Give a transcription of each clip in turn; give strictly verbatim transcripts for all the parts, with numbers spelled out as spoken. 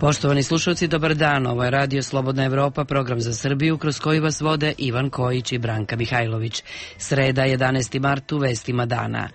Poštovani slušalci, dobar dan. Ovo je Radio Slobodna Evropa, program za Srbiju, kroz koji vas vode Ivan Kojić i Branka Mihajlović. Sreda, jedanaesti mart, u vestima dana.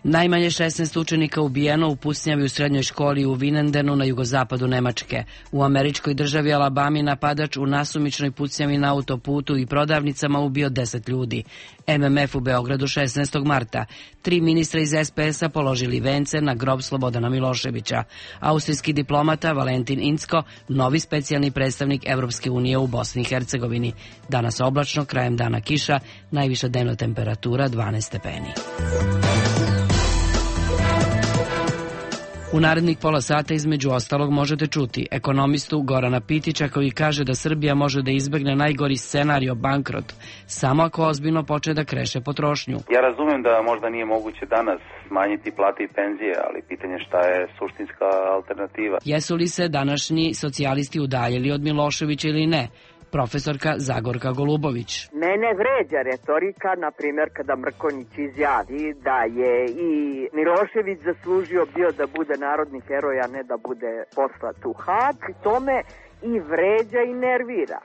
Najmanje šesnaest učenika ubijeno u pucnjavi u srednjoj školi u Vinendenu na jugozapadu Nemačke. U američkoj državi Alabami napadač u nasumičnoj pucnjavi na autoputu i prodavnicama ubio deset ljudi. M M F u Beogradu šesnaestog marta. Tri ministra iz S P S-a položili vence na grob Slobodana Miloševića. Austrijski diplomata Valentin Incko, novi specijalni predstavnik Evropske unije u Bosni i Hercegovini. Danas oblačno, krajem dana kiša, najviša dnevna temperatura dvanaest stepeni. U narednih pola sata između ostalog možete čuti ekonomistu Gorana Pitića koji kaže da Srbija može da izbegne najgori scenario bankrot samo ako ozbiljno počne da kreše potrošnju. Ja razumem da možda nije moguće danas smanjiti plate i penzije, ali pitanje šta je suštinska alternativa. Jesu li se današnji socijalisti udaljili od Miloševića ili ne? Profesorka Zagorka Golubović. Mene vređa retorika, na primjer, kada Mrkonjić izjavi da je i Milošević zaslužio bio da bude narodni heroj, a ne da bude poslat u Hag. To me i vređa i nervira.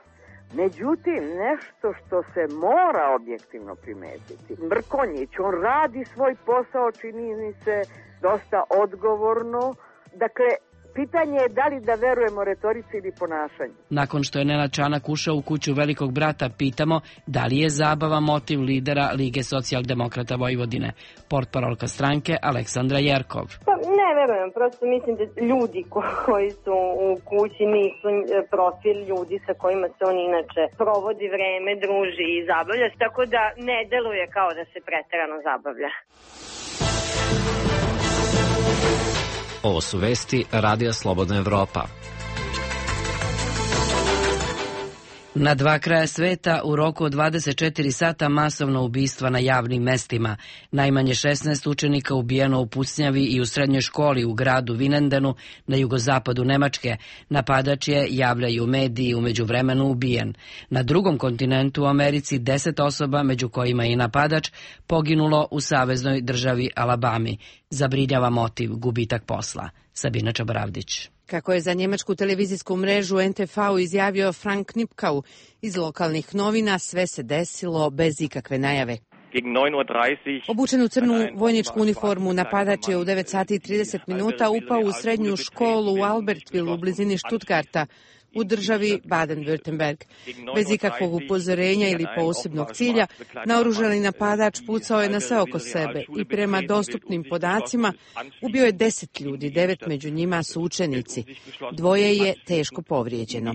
Međutim, nešto što se mora objektivno primetiti. Mrkonjić, on radi svoj posao, čini mi se dosta odgovorno. Dakle, pitanje je da li da verujemo retorici ili ponašanju. Nakon što je Nenad Čanak ušao u kuću Velikog brata, pitamo da li je zabava motiv lidera Lige socijaldemokrata Vojvodine. Portparolka stranke Aleksandra Jerkov. Pa ne verujem, prosto mislim da ljudi koji su u kući nisu profil ljudi sa kojima se on inače provodi vreme, druži i zabavlja, tako da ne deluje kao da se preterano zabavlja. Ovo su vesti Radija Slobodna Evropa. Na dva kraja sveta u roku od dvadeset četiri sata masovno ubistva na javnim mestima. Najmanje šesnaest učenika ubijeno u pucnjavi i u srednjoj školi u gradu Vinendenu na jugozapadu Nemačke. Napadač je, javljaju mediji, u međuvremenu ubijen. Na drugom kontinentu u Americi deset osoba, među kojima i napadač, poginulo u saveznoj državi Alabami. Zabrinjava motiv gubitak posla. Sabina Čabravdić. Kako je za njemačku televizijsku mrežu N T V izjavio Frank Knipkau iz lokalnih novina, sve se desilo bez ikakve najave. Obučen u crnu vojničku uniformu, napadač je u devet sati i trideset minuta upao u srednju školu u Albertville u blizini Stuttgarta u državi Baden-Württemberg. Bez ikakvog upozorenja ili posebnog cilja, naoružani napadač pucao je na sve oko sebe i prema dostupnim podacima ubio je deset ljudi, devet među njima su učenici. Dvoje je teško povrijeđeno.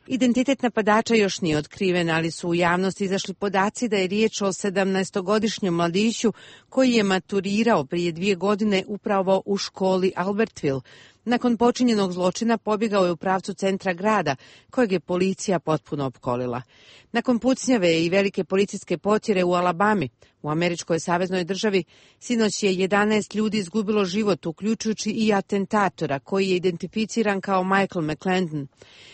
Identitet napadača još nije otkriven, ali su u javnosti izašli podaci da je riječ o sedamnaestogodišnjem mladiću koji je maturirao prije dvije godine upravo u školi Albertville. Nakon počinjenog zločina pobjegao je u pravcu centra grada, kojeg je policija potpuno opkolila. Nakon pucnjave i velike policijske potjere u Alabami, u američkoj saveznoj državi, sinoć je jedanaest ljudi izgubilo život, uključujući i atentatora, koji je identificiran kao Michael McClendon.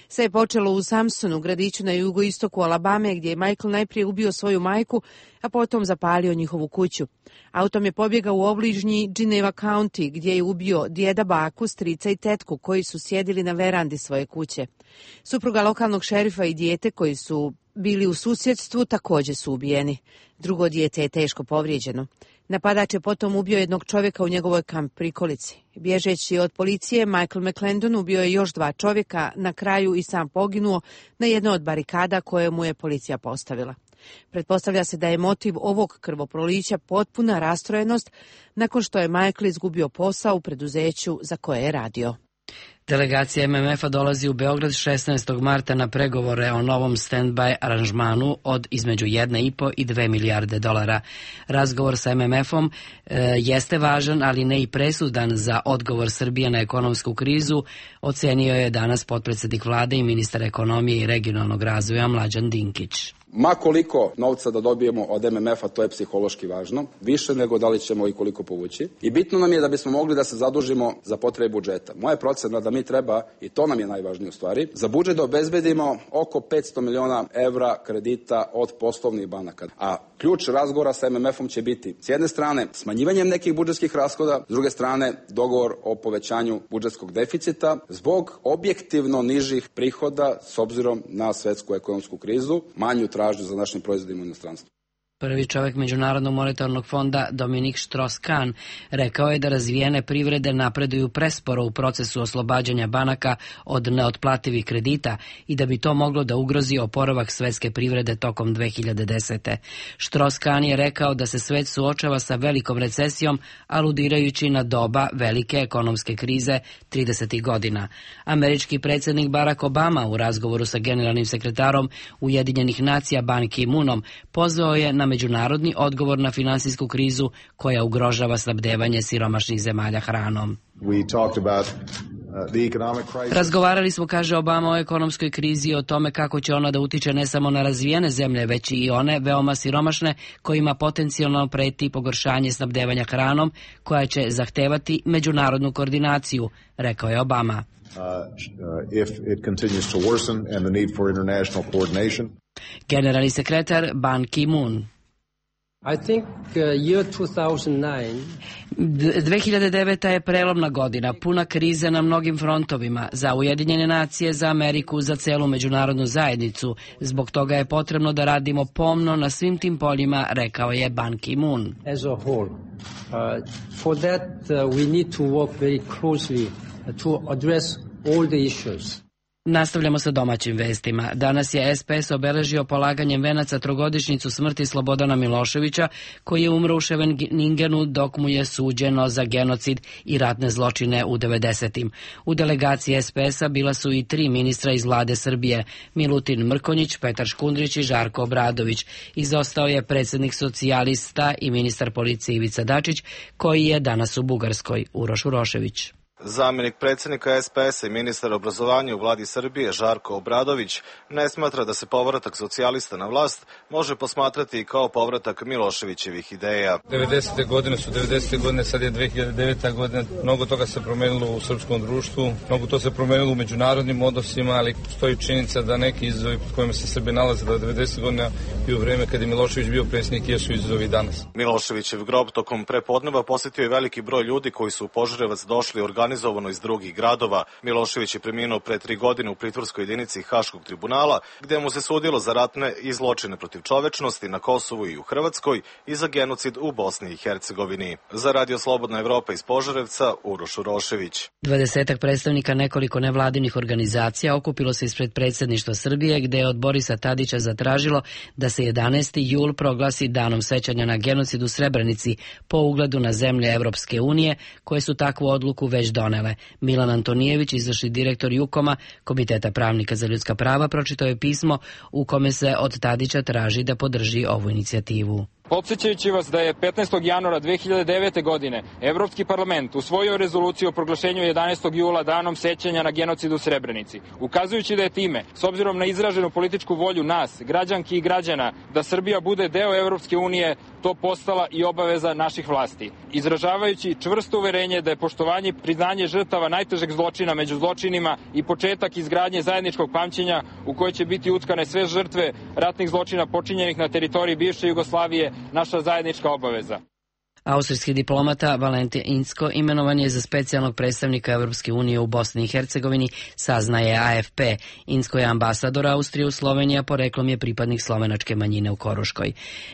Sve je počelo u Samsonu, gradiću na jugoistoku Alabame, gdje je Michael najprije ubio svoju majku, a potom zapalio njihovu kuću. Autom je pobjegao u obližnji Geneva County, gdje je ubio djeda, baku, strica i tetku, koji su sjedili na verandi svoje kuće. Supruga lokalnog šerifa i dijete koji su bili u susjedstvu također su ubijeni. Drugo dijete je teško povrijeđeno. Napadač je potom ubio jednog čovjeka u njegovoj kamp prikolici. Bježeći od policije, Michael McClendon ubio je još dva čovjeka, na kraju i sam poginuo na jednoj od barikada koje mu je policija postavila. Pretpostavlja se da je motiv ovog krvoprolića potpuna rastrojenost nakon što je Michael izgubio posao u preduzeću za koje je radio. Delegacija M M F-a dolazi u Beograd šesnaestog marta na pregovore o novom stand-by aranžmanu od između jedne i po i dve milijarde dolara. Razgovor sa M M F-om e, jeste važan, ali ne i presudan za odgovor Srbije na ekonomsku krizu, ocenio je danas potpredsjednik vlade i ministar ekonomije i regionalnog razvoja Mlađan Dinkić. Ma koliko novca da dobijemo od M M F-a, to je psihološki važno, više nego da li ćemo i koliko povući. I bitno nam je da bismo mogli da se zadužimo za potrebe budžeta. Moja procena da mi treba, i to nam je najvažnije u stvari, za budžet da obezbedimo oko petsto miliona evra kredita od poslovnih banaka. A ključ razgovora sa M M F-om će biti s jedne strane smanjivanjem nekih budžetskih rashoda, s druge strane dogovor o povećanju budžetskog deficita zbog objektivno nižih prihoda s obzirom na svetsku ekonomsku krizu, manju tražnju za našim proizvodima u inostranstvu. Prvi čovjek Međunarodnog monetarnog fonda Dominik Strauss-Kahn rekao je da razvijene privrede napreduju presporo u procesu oslobađanja banaka od neotplativih kredita i da bi to moglo da ugrozi oporavak svetske privrede tokom dve hiljade desete. Strauss-Kahn je rekao da se svet suočava sa velikom recesijom, aludirajući na doba velike ekonomske krize tridesetih godina. Američki predsjednik Barack Obama u razgovoru sa generalnim sekretarom Ujedinjenih nacija Ban Ki-moonom pozvao je na međunarodni odgovor na finansijsku krizu koja ugrožava snabdevanje siromašnih zemalja hranom. Razgovarali smo, kaže Obama, o ekonomskoj krizi i o tome kako će ona da utiče ne samo na razvijene zemlje, već i one veoma siromašne kojima potencijalno preti pogoršanje snabdevanja hranom koja će zahtevati međunarodnu koordinaciju, rekao je Obama. Generalni sekretar Ban Ki-moon. I think uh, year two thousand nine dve hiljade deveta je prelomna godina, puna krize na mnogim frontovima, za Ujedinjene nacije, za Ameriku, za celu međunarodnu zajednicu. Zbog toga je potrebno da radimo pomno na svim tim poljima, rekao je Ban Ki-moon. As a whole, uh, for that uh, we need to work very closely to address all the issues. Nastavljamo sa domaćim vestima. Danas je S P S obeležio polaganjem venaca trogodišnjicu smrti Slobodana Miloševića, koji je umro u Scheveningenu dok mu je suđeno za genocid i ratne zločine u devedesetim. U delegaciji S P S-a bila su i tri ministra iz vlade Srbije, Milutin Mrkonjić, Petar Škundrić i Žarko Obradović. Izostao je predsjednik socijalista i ministar policije Ivica Dačić, koji je danas u Bugarskoj, Uroš Urošević. Zamjenik predsjednika S P S-a i ministar obrazovanja u vladi Srbije Žarko Obradović ne smatra da se povratak socijalista na vlast može posmatrati kao povratak Miloševićevih ideja. devedesete godine su devedesete godine, sad je dve hiljade deveta godina, mnogo toga se promenilo u srpskom društvu, mnogo to se promenilo u međunarodnim odnosima, ali stoji činjenica da neki izazovi pod kojima se Srbi nalaze do devedesetih godina i u vreme kada je Milošević bio predsjednik jesu izazovi danas. Miloševićev grob tokom prepodneva posjetio je veliki broj ljudi koji su u Požarevac došli organizovano organizovano iz drugih gradova. Milošević je preminuo pre tri godine u pritvorskoj jedinici Haškog tribunala, gde mu se sudilo za ratne i zločine protiv čovečnosti na Kosovu i u Hrvatskoj i za genocid u Bosni i Hercegovini. Za Radio Slobodna Evropa iz Požarevca, Uroš Urošević. Dvadesetak predstavnika nekoliko nevladinih organizacija okupilo se ispred predsjedništva Srbije, gde je od Borisa Tadića zatražilo da se jedanaesti jul proglasi danom sećanja na genocid u Srebrenici po ugledu na zemlje Evropske unije, koje su takvu odluku već donele. Milan Antonijević, izvršni direktor Jukoma, Komiteta pravnika za ljudska prava, pročitao je pismo u kome se od Tadića traži da podrži ovu inicijativu. Podsjećajući vas da je petnaestog januara dve hiljade devete. godine Evropski parlament usvojio rezoluciju o proglašenju jedanaestog jula danom sećanja na genocid u Srebrenici, ukazujući da je time, s obzirom na izraženu političku volju nas, građanki i građana, da Srbija bude deo Evropske unije, to postala i obaveza naših vlasti. Izražavajući čvrsto uverenje da je poštovanje i priznanje žrtava najtežeg zločina među zločinima i početak izgradnje zajedničkog pamćenja u kojoj će biti utkane sve žrtve ratnih zločina počinjenih na teritoriji bivše Jugoslavije, naša zajednička obaveza. Austrijski diplomata Valentin Incko imenovan je za specijalnog predstavnika Evropske unije u Bosni i Hercegovini, saznaje A F P. Incko je ambasador Austrije u Sloveniji, a poreklom je pripadnik slovenačke manjine u Koruškoj.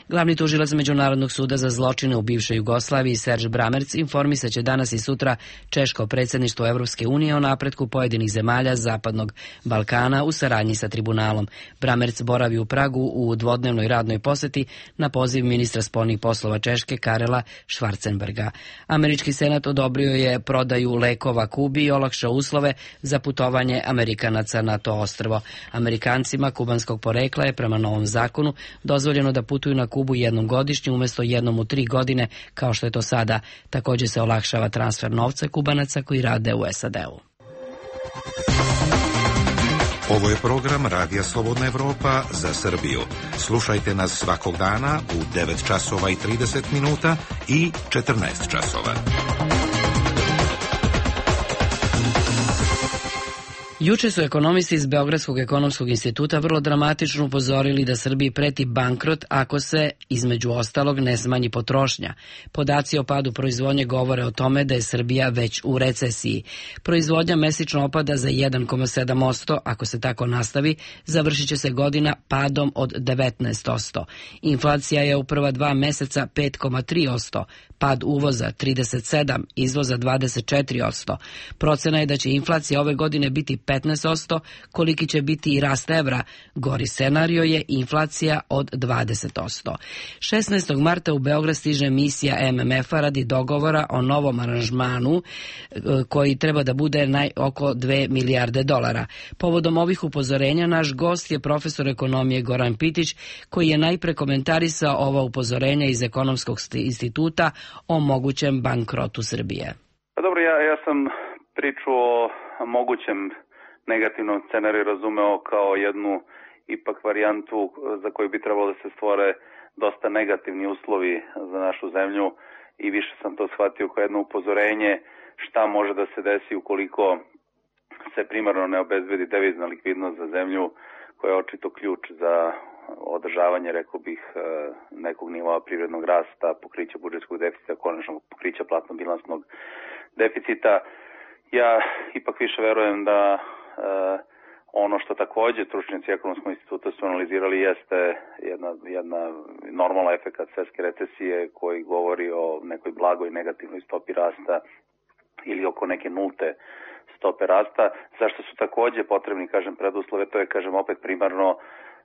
Glavni tužilac Međunarodnog suda za zločine u bivšoj Jugoslaviji, Serge Bramerc, informisaće danas i sutra češko predsjedništvo Evropske unije o napretku pojedinih zemalja Zapadnog Balkana u saradnji sa tribunalom. Bramerc boravi u Pragu u dvodnevnoj radnoj poseti na poziv ministra spoljnih poslova Češke Karela Schwarzenberga. Američki senat odobrio je prodaju lekova Kubi i olakšao uslove za putovanje Amerikanaca na to ostrvo. Amerikancima kubanskog porekla je prema novom zakonu dozvoljeno da putuju na Kubu jednom godišnje umjesto jednom u tri godine, kao što je to sada. Također se olakšava transfer novca Kubanaca koji rade u S A D-u. Ovo je program Radija Slobodna Evropa za Srbiju. Slušajte nas svakog dana u devet časova i trideset minuta i četrnaest časova. Juče su ekonomisti iz Beogradskog ekonomskog instituta vrlo dramatično upozorili da Srbiji preti bankrot ako se, između ostalog, ne smanji potrošnja. Podaci o padu proizvodnje govore o tome da je Srbija već u recesiji. Proizvodnja mesečno opada za jedan zarez sedam posto, ako se tako nastavi, završit će se godina padom od devetnaest posto. Inflacija je u prva dva meseca pet zarez tri posto, pad uvoza trideset sedam, izvoza dvadeset četiri posto. Procena je da će inflacija ove godine biti petnaest posto, koliki će biti i rast evra. Gori scenario je inflacija od dvadeset posto. šesnaestog marta u Beograd stiže misija em em ef-a radi dogovora o novom aranžmanu koji treba da bude naj, oko dve milijarde dolara. Povodom ovih upozorenja naš gost je profesor ekonomije Goran Pitić, koji je najpre komentarisao ova upozorenja iz Ekonomskog instituta o mogućem bankrotu Srbije. Pa dobro, ja, ja sam priču o mogućem negativnom scenariju razumeo kao jednu ipak varijantu za koju bi trebalo da se stvore dosta negativni uslovi za našu zemlju i više sam to shvatio kao jedno upozorenje šta može da se desi ukoliko se primarno ne obezbedi devizna likvidnost za zemlju, koja je očito ključ za održavanje, rekao bih, nekog nivoa privrednog rasta, pokrića budžetskog deficita, konačno pokrića platno-bilansnog deficita. Ja ipak više verujem da Uh, ono što takođe stručnjaci Ekonomskog instituta su analizirali jeste jedna, jedna normalna efekat svetske recesije koji govori o nekoj blagoj negativnoj stopi rasta ili oko neke nulte stope rasta. Zašto su takođe potrebni, kažem, preduslove, to je, kažem, opet primarno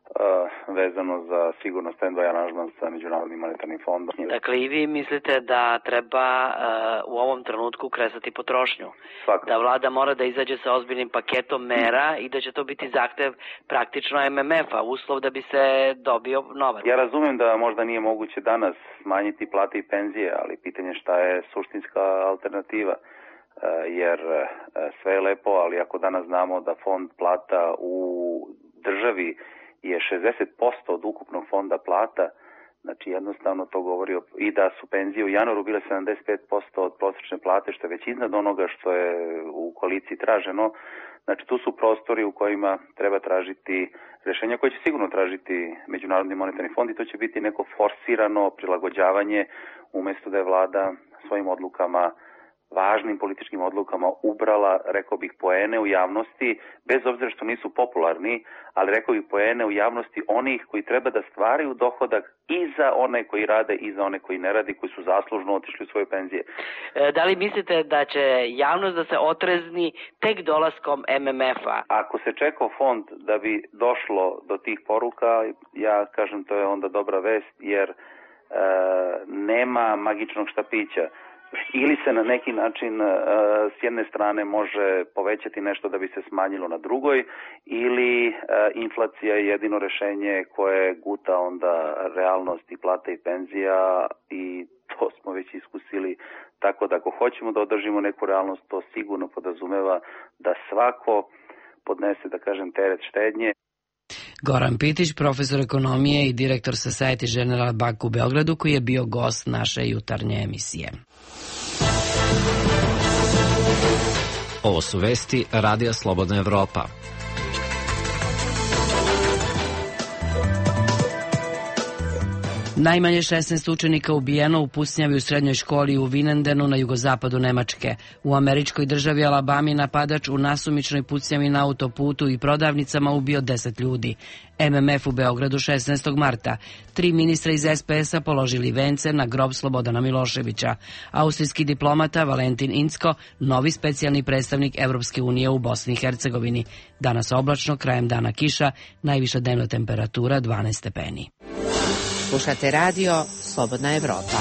Uh, vezano za sigurno stand-by aranžman sa Međunarodnim monetarnim fondom. Dakle, i vi mislite da treba uh, u ovom trenutku kresati potrošnju? Svakako. Da vlada mora da izađe sa ozbiljnim paketom mera i da će to biti zahtev praktično em em ef-a, uslov da bi se dobio novac? Ja razumem da možda nije moguće danas smanjiti plate i penzije, ali pitanje šta je suštinska alternativa. Uh, jer uh, sve je lepo, ali ako danas znamo da fond plata u državi je šezdeset posto od ukupnog fonda plata, znači jednostavno to govori o, i da su penzije u januaru bile sedamdeset pet posto od prosječne plate, što je već iznad onoga što je u koaliciji traženo. Znači tu su prostori u kojima treba tražiti rešenja koje će sigurno tražiti Međunarodni monetarni fond i to će biti neko forsirano prilagođavanje umesto da je vlada svojim odlukama, važnim političkim odlukama ubrala, rekao bih, poene u javnosti, bez obzira što nisu popularni, ali rekao bih poene u javnosti onih koji treba da stvaraju dohodak i za one koji rade i za one koji ne radi, koji su zaslužno otišli u svoje penzije. E, da li mislite da će javnost da se otrezni tek dolaskom em em ef-a? Ako se čekao fond da bi došlo do tih poruka, ja kažem to je onda dobra vest, jer e, nema magičnog štapića. Ili se na neki način uh, s jedne strane može povećati nešto da bi se smanjilo na drugoj, ili uh, inflacija je jedino rešenje koje guta onda realnost i plata i penzija i to smo već iskusili. Tako da ako hoćemo da održimo neku realnost, to sigurno podrazumeva da svako podnese, da kažem, teret štednje. Goran Pitić, profesor ekonomije i direktor Societe Generale Bank u Beogradu, koji je bio gost naše jutarnje emisije. Ovo su vesti Radija Slobodna Evropa. Najmanje šesnaest učenika ubijeno u pucnjavi u srednjoj školi u Vinendenu na jugozapadu Nemačke. U američkoj državi Alabami napadač u nasumičnoj pucnjavi na autoputu i prodavnicama ubio deset ljudi. em em ef u Beogradu šesnaestog marta. Tri ministra iz es pe es-a položili vence na grob Slobodana Miloševića. Austrijski diplomata Valentin Incko, novi specijalni predstavnik Evropske unije u Bosni i Hercegovini. Danas oblačno, krajem dana kiša, najviša dnevna temperatura dvanaest stepeni. Slušate radio Slobodna Evropa.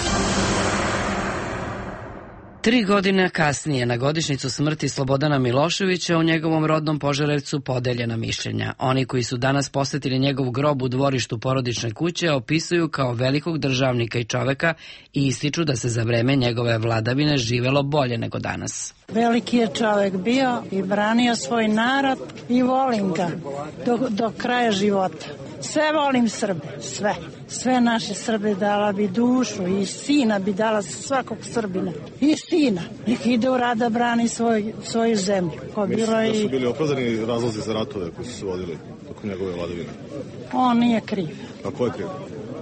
Tri godine kasnije, na godišnjicu smrti Slobodana Miloševića, u njegovom rodnom Požarevcu podeljena mišljenja. Oni koji su danas posetili njegov grob u dvorištu porodične kuće opisuju kao velikog državnika i čoveka i ističu da se za vreme njegove vladavine živelo bolje nego danas. Veliki je čovek bio i branio svoj narod i volim ga do, do kraja života. Sve volim Srbe, sve. Sve naše Srbe dala bi dušu i sina bi dala svakog Srbina. I sina. Nek ide u rad da brani svoj, svoju zemlju. Mislim da su bili opravdani razlozi za ratove koji su se vodili tokom njegove vladavine. On nije kriv. A ko je kriv?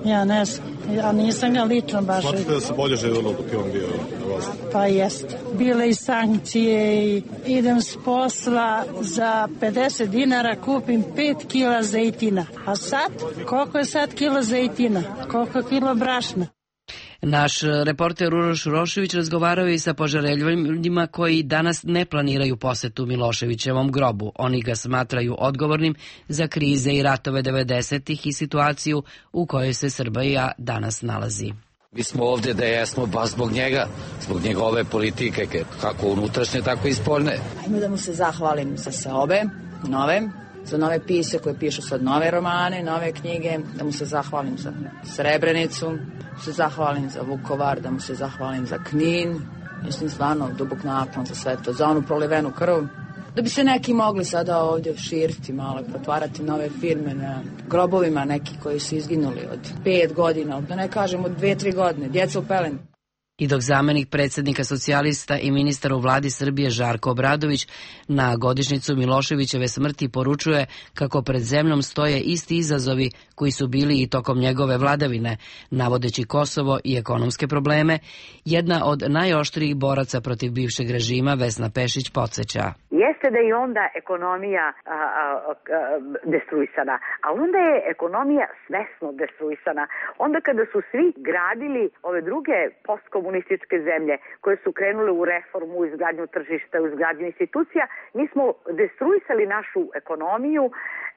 Ja ne znam. Ja nisam ga lično baš... Smatrate da se bolje živjelo dok je on bio na vlasti? Pa jeste. Bile i sankcije i idem s posla za pedeset dinara kupim pet kila zejtina. A sad? Koliko je sad kilo zejtina? Koliko je kilo brašna? Naš reporter Uroš Urošević razgovarao i sa požareljivima koji danas ne planiraju posetu Miloševićevom grobu. Oni ga smatraju odgovornim za krize i ratove devedesetih i situaciju u kojoj se Srbija danas nalazi. Mi smo ovdje da jesmo baš zbog njega, zbog njegove politike, kako unutrašnje, tako i spoljne. Ajmo da mu se zahvalim za sve ove, nove, za nove pise koje pišu sad nove romane, nove knjige, da mu se zahvalim za Srebrenicu, da mu se zahvalim za Vukovar, da mu se zahvalim za Knin, mislim stvarno dubok naklon za sve to, za onu prolivenu krv. Da bi se neki mogli sada ovdje širiti malo, pretvarati nove firme na grobovima neki koji su izginuli od pet godina, da ne kažem od dve, tri godine, djeca u pelenu. I dok zamenik predsjednika socijalista i ministar u vladi Srbije Žarko Obradović na godišnjicu Miloševićeve smrti poručuje kako pred zemljom stoje isti izazovi koji su bili i tokom njegove vladavine, navodeći Kosovo i ekonomske probleme, jedna od najoštrijih boraca protiv bivšeg režima Vesna Pešić podsjeća. Jeste da je onda ekonomija a, a, a, destruisana, a onda je ekonomija svesno destruisana. Onda kada su svi gradili ove druge postkomunističke zemlje koje su krenule u reformu, u izgradnju tržišta, u izgradnju institucija, mi smo destruisali našu ekonomiju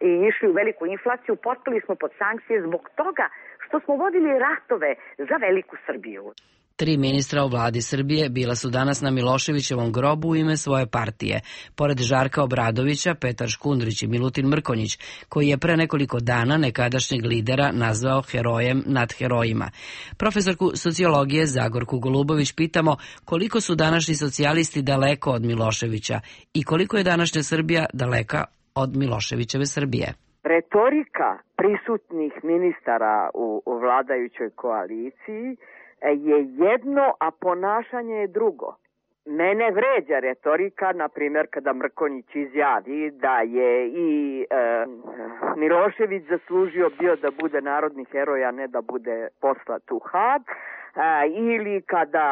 i išli u veliku inflaciju, potpali smo pod sankcije zbog toga što smo vodili ratove za veliku Srbiju. Tri ministra u vladi Srbije bila su danas na Miloševićevom grobu u ime svoje partije. Pored Žarka Obradovića, Petar Škundrić i Milutin Mrkonjić, koji je pre nekoliko dana nekadašnjeg lidera nazvao herojem nad herojima. Profesorku sociologije Zagorku Golubović pitamo koliko su današnji socijalisti daleko od Miloševića i koliko je današnja Srbija daleka od Miloševićeve Srbije. Retorika prisutnih ministara u, u vladajućoj koaliciji je jedno, a ponašanje je drugo. Mene vređa retorika, na primjer, kada Mrkonjić izjavi da je i e, Milošević zaslužio bio da bude narodni heroj, a ne da bude poslat u Hag, e, ili kada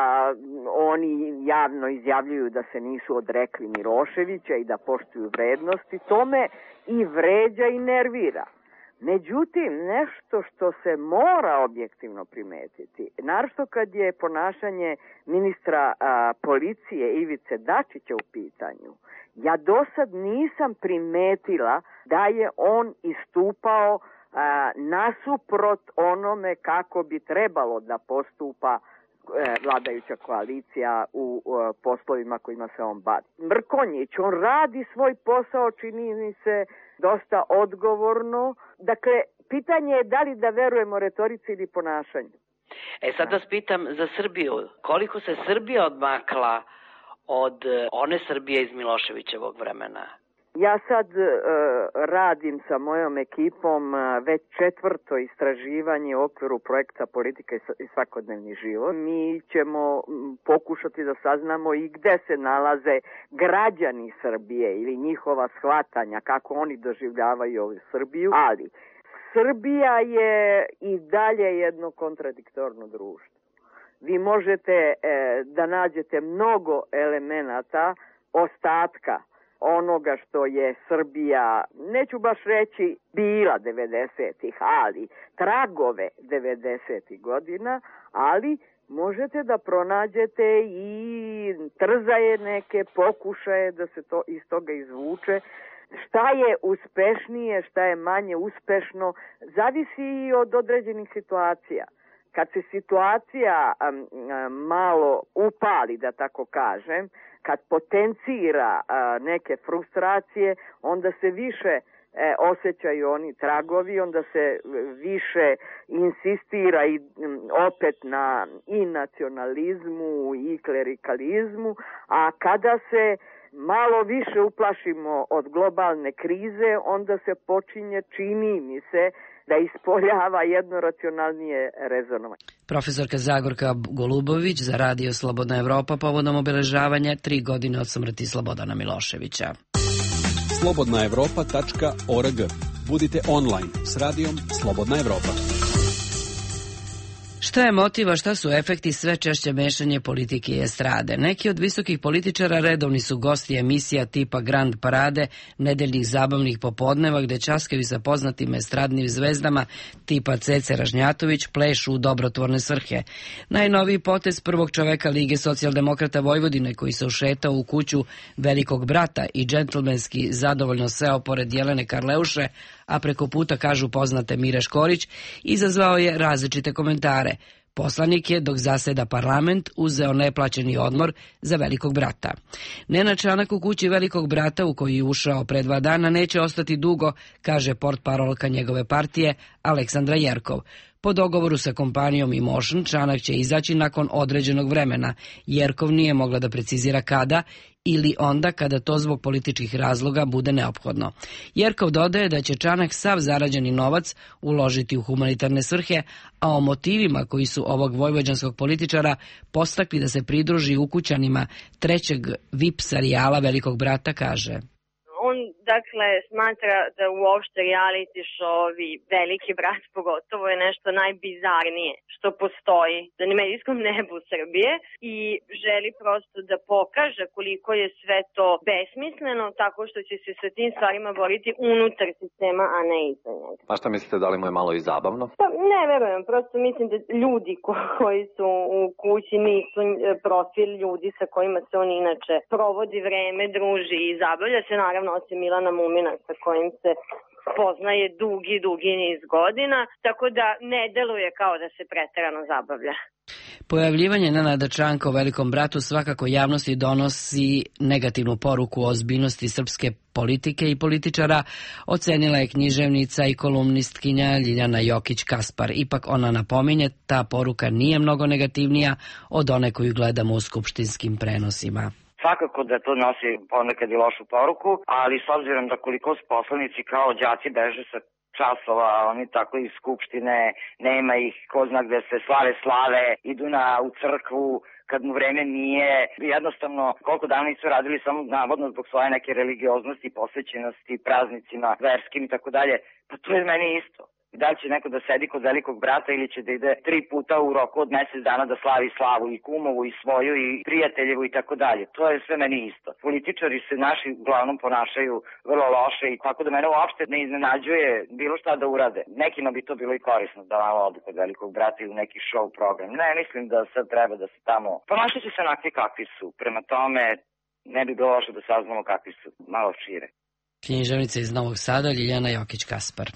oni javno izjavljuju da se nisu odrekli Miloševića i da poštuju vrednosti, to me i vređa i nervira. Međutim, nešto što se mora objektivno primetiti, naročito kad je ponašanje ministra a, policije Ivice Dačića u pitanju, ja do sad nisam primetila da je on istupao a, nasuprot onome kako bi trebalo da postupa vladajuća koalicija u uh, poslovima kojima se on bavi. Mrkonjić, on radi svoj posao, čini mi se dosta odgovorno. Dakle, pitanje je da li da verujemo retorici ili ponašanju. E sad vas pitam za Srbiju. Koliko se Srbija odmakla od one Srbije iz Miloševićevog vremena? Ja sad uh, radim sa mojom ekipom uh, već četvrto istraživanje u okviru projekta Politika i svakodnevni život. Mi ćemo m, pokušati da saznamo i gde se nalaze građani Srbije ili njihova shvatanja, kako oni doživljavaju ovu Srbiju, ali Srbija je i dalje jedno kontradiktorno društvo. Vi možete e, da nađete mnogo elemenata ostatka onoga što je Srbija, neću baš reći bila devedesetih, ali tragove devedesetih godina, ali možete da pronađete i trzaje neke pokušaje da se to iz toga izvuče. Šta je uspešnije, šta je manje uspešno, zavisi i od određenih situacija. Kad se situacija um, malo upali, da tako kažem, kad potencira uh, neke frustracije, onda se više E, osjećaju oni tragovi, onda se više insistira i opet na i nacionalizmu i klerikalizmu, a kada se malo više uplašimo od globalne krize, onda se počinje, čini mi se, da ispoljava jedno racionalnije rezonovanje. Profesorka Zagorka Golubović za Radio Slobodna Evropa povodom obeležavanja tri godine od smrti Slobodana Miloševića. slobodna evropa tačka org. Budite online s radijom Slobodna Evropa. Šta je motiv, a šta su efekti sve češće mešanje politike i estrade? Neki od visokih političara redovni su gosti emisija tipa Grand Parade, nedeljnih zabavnih popodneva gde časkaju sa poznatim estradnim zvezdama tipa Cece Ražnjatović plešu u dobrotvorne svrhe. Najnoviji potez prvog čoveka Lige socijaldemokrata Vojvodine koji se ušetao u kuću Velikog brata i džentlmenski zadovoljno seo pored Jelene Karleuše, a preko puta kažu poznate Mire Škorić, izazvao je različite komentare. Poslanik je, dok zaseda parlament, uzeo neplaćeni odmor za Velikog brata. Nenad Čanak u kući Velikog brata, u koji je ušao pre dva dana, neće ostati dugo, kaže portparolka njegove partije Aleksandra Jerkov. Po dogovoru sa kompanijom Emotion, Čanak će izaći nakon određenog vremena. Jerkov nije mogla da precizira kada ili onda kada to zbog političkih razloga bude neophodno. Jerkov dodaje da će Čanak sav zarađeni novac uložiti u humanitarne svrhe, a o motivima koji su ovog vojvođanskog političara postakli da se pridruži ukućanima trećeg V I P serijala Velikog brata kaže: On, dakle, smatra da uopšte reality show-ovi, Veliki brat pogotovo, je nešto najbizarnije što postoji na medijskom nebu Srbije i želi prosto da pokaže koliko je sve to besmisleno, tako što će se sa tim stvarima boriti unutar sistema, a ne iza njega. A šta mislite, da li mu je malo i zabavno? Pa, ne verujem, prosto mislim da ljudi koji su u kući nisu profil ljudi sa kojima se on inače provodi vreme, druži i zabavlja se, naravno, osim Milana Mumina sa kojim se poznaje dugi, dugi niz godina, tako da ne deluje kao da se preterano zabavlja. Pojavljivanje Nenada Čanka u Velikom bratu svakako javnosti donosi negativnu poruku o ozbiljnosti srpske politike i političara, ocenila je književnica i kolumnistkinja Ljiljana Jokić-Kaspar. Ipak ona napominje, ta poruka nije mnogo negativnija od one koju gledamo u skupštinskim prenosima. Svakako da to nosi ponekad i lošu poruku, ali s obzirom da koliko poslanici kao đaci beže sa časova, oni tako iz skupštine, nema ih, ko zna gde se slave slave, idu na, u crkvu, kad mu vreme nije, jednostavno koliko dana nisu radili samo navodno zbog svoje neke religioznosti, posvećenosti, praznicima, verskim i tako dalje, pa to je meni isto. Da li će neko da sedi kod Velikog brata ili će da ide tri puta u roku od mesec dana da slavi slavu i kumovu i svoju i prijateljevu i tako dalje. To je sve meni isto. Političari se naši uglavnom ponašaju vrlo loše i tako da mene uopšte ne iznenađuje bilo šta da urade. Nekima bi to bilo i korisno da malo odu kod Velikog brata ili neki show program. Ne, mislim da sad treba da se tamo ponašat će se onakvi kakvi su. Prema tome ne bi bilo loše da saznamo kakvi su malo šire. Književnica iz Novog Sada Ljiljana Jokić-Kaspar.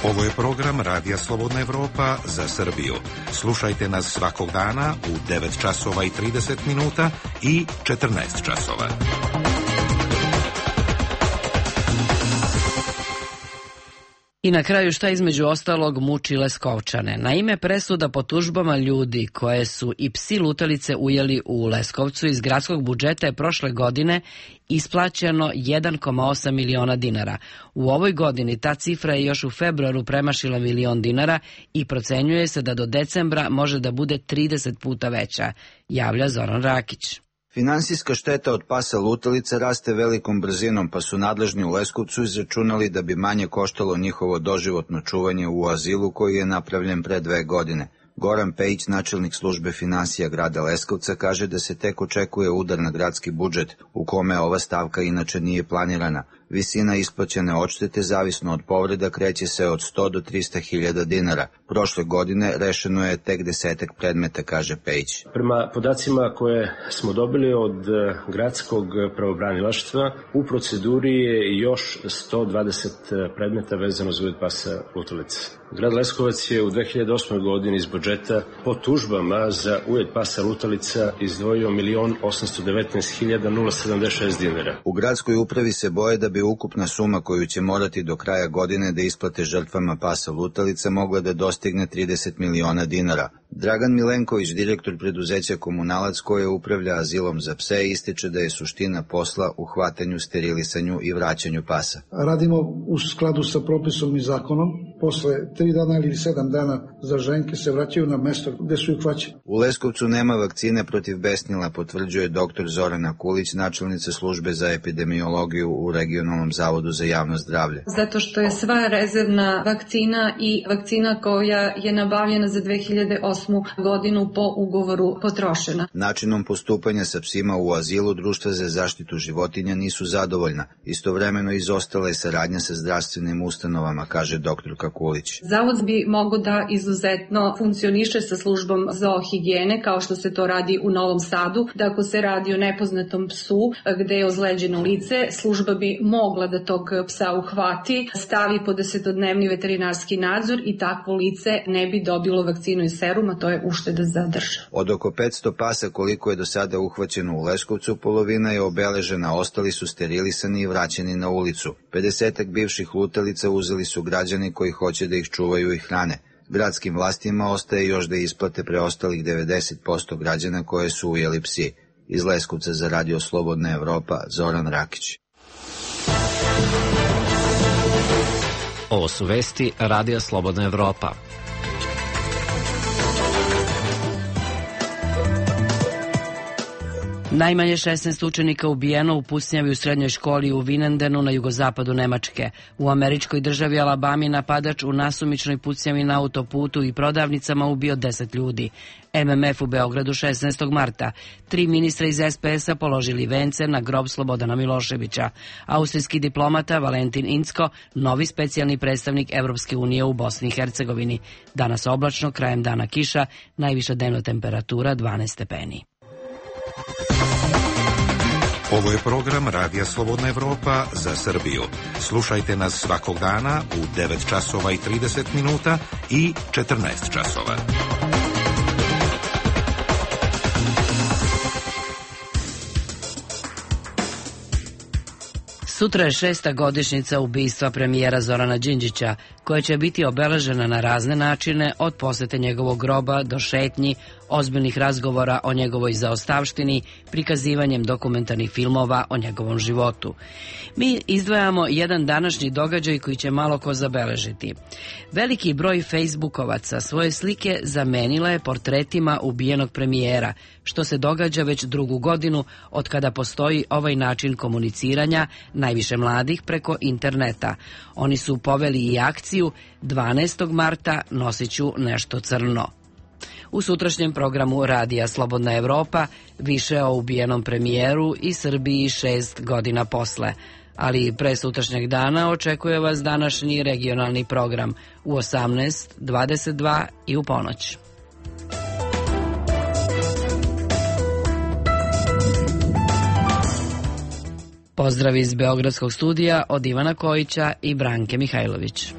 Ovo je program Radija Slobodna Evropa za Srbiju. Slušajte nas svakog dana u devet časova i trideset minuta i četrnaest časova. I na kraju šta između ostalog muči Leskovčane. Naime, presuda po tužbama ljudi koje su i psi lutalice ujeli u Leskovcu iz gradskog budžeta je prošle godine isplaćeno jedan zarez osam miliona dinara. U ovoj godini ta cifra je još u februaru premašila milion dinara i procenjuje se da do decembra može da bude trideset puta veća, javlja Zoran Rakić. Finansijska šteta od pasa lutalice raste velikom brzinom, pa su nadležni u Leskovcu izračunali da bi manje koštalo njihovo doživotno čuvanje u azilu koji je napravljen pre dve godine. Goran Pejić, načelnik službe finansija grada Leskovca, kaže da se tek očekuje udar na gradski budžet, u kome ova stavka inače nije planirana. Visina isplaćene odštete zavisno od povreda kreće se od sto do trista hiljada dinara. Prošle godine rešeno je tek desetak predmeta, kaže Pejić. Prema podacima koje smo dobili od gradskog pravobranilaštva, u proceduri je još sto dvadeset predmeta vezano za uvjet pasa lutalica. Grad Leskovac je u dve hiljade osmoj godini iz budžeta po tužbama za uvjet pasa lutalica izdvojio milion osamsto devetnaest hiljada sedamdeset šest dinara. U gradskoj upravi se boje da bi ukupna suma koju će morati do kraja godine da isplate žrtvama pasa lutalica mogla da dostigne trideset miliona dinara. Dragan Milenković, direktor preduzeća Komunalac koje upravlja azilom za pse, ističe da je suština posla u hvatanju, sterilisanju i vraćanju pasa. Radimo u skladu sa propisom i zakonom. Posle tri dana ili sedam dana za ženke se vraćaju na mesto gde su ih hvaćeni. U Leskovcu nema vakcine protiv besnila, potvrđuje doktor Zorana Kulić, načelnica službe za epidemiologiju u Regionalnom zavodu za javno zdravlje. Zato što je sva rezervna vakcina i vakcina koja je nabavljena za dve hiljade osmu godinu po ugovoru potrošena. Načinom postupanja sa psima u azilu društva za zaštitu životinja nisu zadovoljna. Istovremeno izostala je saradnja sa zdravstvenim ustanovama, kaže doktorka Kulić. Zavod bi mogao da izuzetno funkcioniše sa službom zoohigijene, kao što se to radi u Novom Sadu, da ako se radi o nepoznatom psu gde je ozleđeno lice, služba bi mogla da tog psa uhvati, stavi pod desetodnevni veterinarski nadzor i takvo lice ne bi dobilo vakcinu i serum, a to je ušteda za državu. Od oko petsto pasa koliko je do sada uhvaćeno u Leskovcu, polovina je obeležena, ostali su sterilisani i vraćeni na ulicu. pedesetak bivših lutalica uzeli su građani koji hoće da ih čuvaju i hrane. Gradskim vlastima ostaje još da isplate preostalih devedeset posto građana koje su ujeli psi. Iz Leskovca za Radio Slobodna Evropa, Zoran Rakić. Ovo su vesti Radija Slobodna Evropa. Najmanje šesnaest učenika ubijeno u pucnjavi u srednjoj školi u Vinendenu na jugozapadu Nemačke. U američkoj državi Alabami napadač u nasumičnoj pucnjavi na autoputu i prodavnicama ubio deset ljudi. M M F u Beogradu šesnaestog marta. Tri ministra iz S P S-a položili vence na grob Slobodana Miloševića. Austrijski diplomata Valentin Incko, novi specijalni predstavnik Evropske unije u Bosni i Hercegovini. Danas oblačno, krajem dana kiša, najviša dnevna temperatura dvanaest stepeni. Ovo je program Radija Slobodna Evropa za Srbiju. Slušajte nas svakog dana u devet časova i trideset minuta i četrnaest časova. Sutra je šesta godišnjica ubistva premijera Zorana Đinđića, koja će biti obeležena na razne načine, od posete njegovog groba do šetnji, ozbiljnih razgovora o njegovoj zaostavštini, prikazivanjem dokumentarnih filmova o njegovom životu. Mi izdvajamo jedan današnji događaj koji će malo ko zabeležiti. Veliki broj Facebookovaca svoje slike zamenila je portretima ubijenog premijera, što se događa već drugu godinu od kada postoji ovaj način komuniciranja, najviše mladih preko interneta. Oni su poveli i akciju dvanaestog marta nosit ću nešto crno. U sutrašnjem programu Radija Slobodna Evropa više o ubijenom premijeru i Srbiji šest godina posle. Ali pre sutrašnjeg dana očekuje vas današnji regionalni program u osamnaest, dvadeset dva i u ponoć. Pozdrav iz Beogradskog studija od Ivana Kojića i Branke Mihajlović.